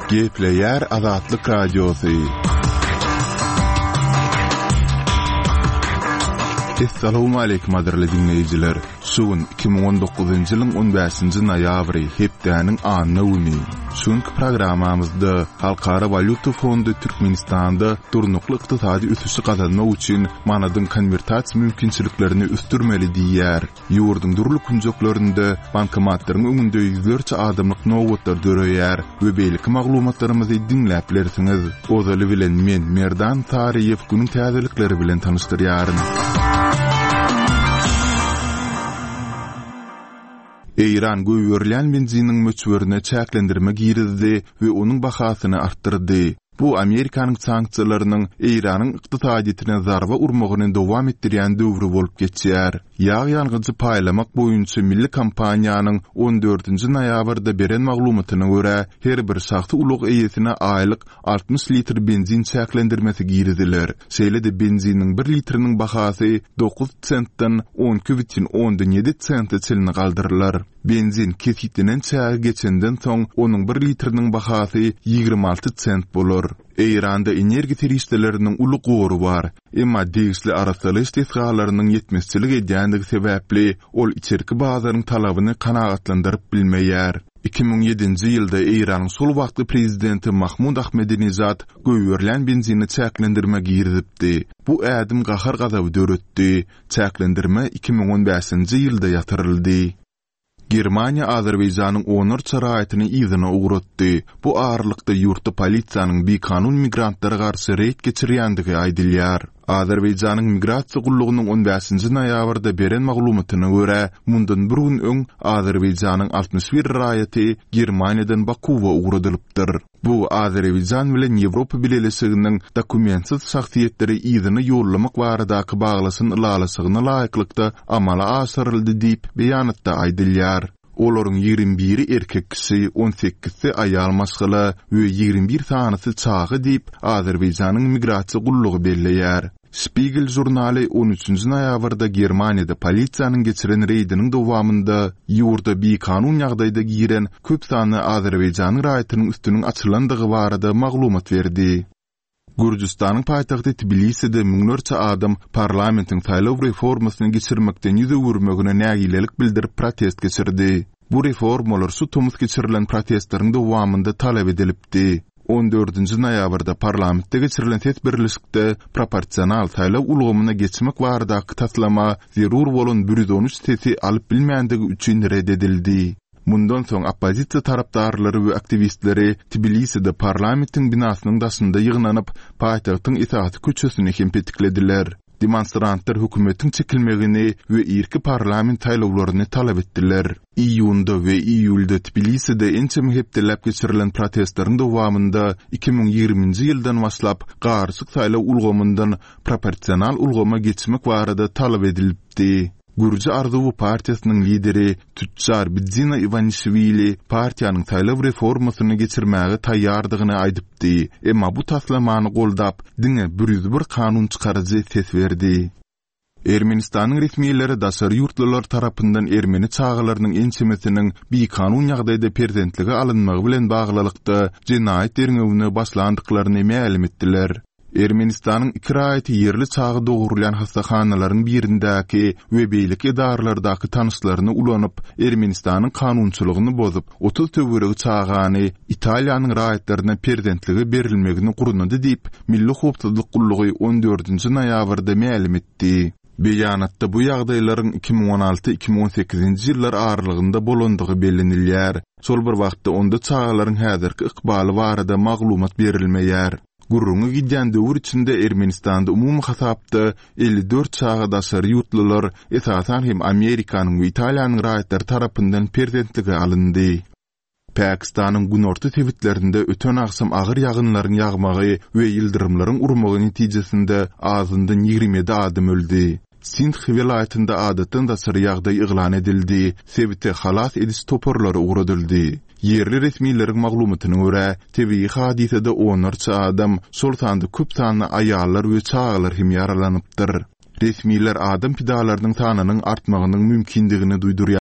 Gepleýär Azatlyk Radiosy. Essalawmaleýkim gadyrly diňleýjiler! Şu gün 2019-njy ýylyň 15-nji noýabry, hepdäniň anna güni. Şu günki programmamyzda Halkara walýuta fondy Türkmenistanda durnukly ykdysady ösüşi gazanmak üçin manadyň konwertasiýa mümkinçiliklerini ösdürmeli diýýär. Ýurduň dürli künjeklerinde bankomatlaryň öňünde ýüzlerçe adamlyk nobatlar döreýär we beýleki maglumatlarymyzy diňläp bilersiňiz. Ozaly bilen men, Merdan Saryýew günüň täzelikleri bilen tanyşdyrýaryn. Eýran goýberilýän benziniň möçberine çäklendirme girizdi we onuň bahasyny artdyrdy. Bu Amerikanyň sanksiýalarynyň Eýranyň ykdysadyýetine zarba urmagyny dowam etdirýän döwri bolup geçýär. Ýag ýangyjy paýlamak boýunça milli kompaniýanyň on dördünji noýabrda beren maglumatyna görä, her bir şahsy ulag eýesine aýlyk 60 litr benzin çäklendirmesi giriziler. Şeýle-de benziniň bir litriniň bahasy dokuz sentden on iki bütin ondan ýedi sente çenli galdyrylar. Benzin kesgitlenen çägi geçenden soň, onuň bir litriniň bahasy 26 sent bolar. Eýranda energiýa serişdeleriniň uly gory bar, emma degişli arassalaýyş desgalarynyň ýetmezçilik edýändigi sebäpli, ol içerki bazaryň talabyny kanagatlandyryp bilmeýär. 2007-nji ýylda Eýranyň şol wagtky prezidenti Mahmud Ahmedinejad goýberilýän benzine çäklendirme girizipdi. Bu ädim gahar-gazaby döretdi. Çäklendirme 2015-nji ýylda ýatyryldy. Germaniýa Azerbaýjanyň onlarça raýatyny yzyna ugratdy. Bu aralykda ýurtda polisiýanyň bikanun migrantlara garşy reýd geçirýändigi aýdylýar. Azerbaýjanyň Migrasiýa gullugynyň on bäşinji noýabrda beren maglumatyna görä, mundan bir gün öň Azerbaýjanyň 61 raýaty Germaniýadan Bakuwa ugradylypdyr. Bu Azerbaýjan bilen Ýewropa Bileleşiginiň dokumentsiz şahsyýetleri yzyna ýollamak baradaky baglaşan ylalaşygyna laýyklykda amala aşyryldy diýip, beýanatda aýdylýar. Olaryň ýigrimi biri erkek kişi, on sekizsi aýal maşgala we 21 sanysy çaga diýip, Azerbaýjanyň Migrasiýa gullugy belleýär. Spiegel žurnaly on üçünji noýabrda Germaniýada polisiýanyň geçiren reýdiniň dowamynda ýurda bikanun ýagdaýda giren köp sanly azerbaýjanyň raýatynyň üstüniň açylandygy barada maglumat berdi. Gürjüstanyň paýtagty Tbiliside müňlerçe adam parlamentiň saýlaw reformasyny geçirmekden ýüz öwürmegine nägilelik bildirip protest geçirdi. Bu reformalar şu tomus geçirilen protestleriň dowamynda talap edilipdi. On dördünji noýabrda parlamentde geçirilen ses berlişikde proporsional saýlaw ulgamyna geçmek baradaky taslama zerur bolan bir ýüz on üç sesi alyp bilmändigi üçin ret edildi. Mundan soň oppozisiýa tarapdarlary we aktiwistleri Tbiliside parlamentiň binasynyň daşynda ýygnanyp, paýtagtyň esasy köçesini hem petiklediler. Demonstrantlar hökümetiň çekilmegini we irki parlament saýlawlaryny talap etdiler. Iýunda we iýulda Tbiliside ençeme hepdeläp geçirilen protestleriň dowamynda 2020-nji ýyldan başlap garyşyk saýlaw ulgamyndan proporsional ulgama geçmek barada talap edilipdi. Gürji arzuwy partiýasynyň lideri, tüçjar Bidzina Iwanişwili partiýanyň saýlaw reformasyny geçirmäge taýýardygyny aýdypdy, emma bu taslamany goldap diňe 101 kanun çykaryjy ses berdi. Ermenistanyň resmileri daşary ýurtlular tarapyndan ermeni çagalarynyň ençemesiniň bikanun ýagdaýda perzentlige alynmagy bilen baglylykda jenaýat derňewine başlandyklaryny mälim etdiler. Ermenistanyň iki raýaty ýerli çaga dogrulýan hassahanalaryň birindäki we beýleki edaralardaky tanyşlaryny ulanyp, Ermenistanyň kanunçylygyny bozup, 30 töweregi çagany Italiýanyň raýatlaryna perzentlige berilmegini gurnady diýip, Milli howpsuzlyk gullugy on dördünji noýabrda mälim etdi. Beýanatda bu ýagdaýlaryň 2016, 2018-nji ýyllar aralygynda bolandygy bellenilýär. Şol bir wagtda onda çagalaryň häzirki ykbaly barada maglumat berilmeýär. Gürrüňi gidýän döwür içinde Ermenistanda umumy hasapda 54 çaga daşary ýurtlular, esasan hem Amerikanyň we Italiýanyň raýatlary tarapyndan perzentlige alyndy. Pakistanyň günorta sebitlerinde öten agşam agyr ýagynlaryň ýagmagy we ýyldyrymlaryň urmagy netijesinde azyndan 27 adam öldi. Sindh welaýatynda adatdan daşary ýagdaý yglan edildi, sebite halas ediş toparlary ugradyldy. Ýerli resmileriň maglumatyna görä, tebigy hadysada onlarça adam, şol sanda köp sanly aýallar we çagalar hem ýaralanypdyr. Resmiler adam pidalarynyň sanynyň artmagynyň mümkindigini duýdurýarlar.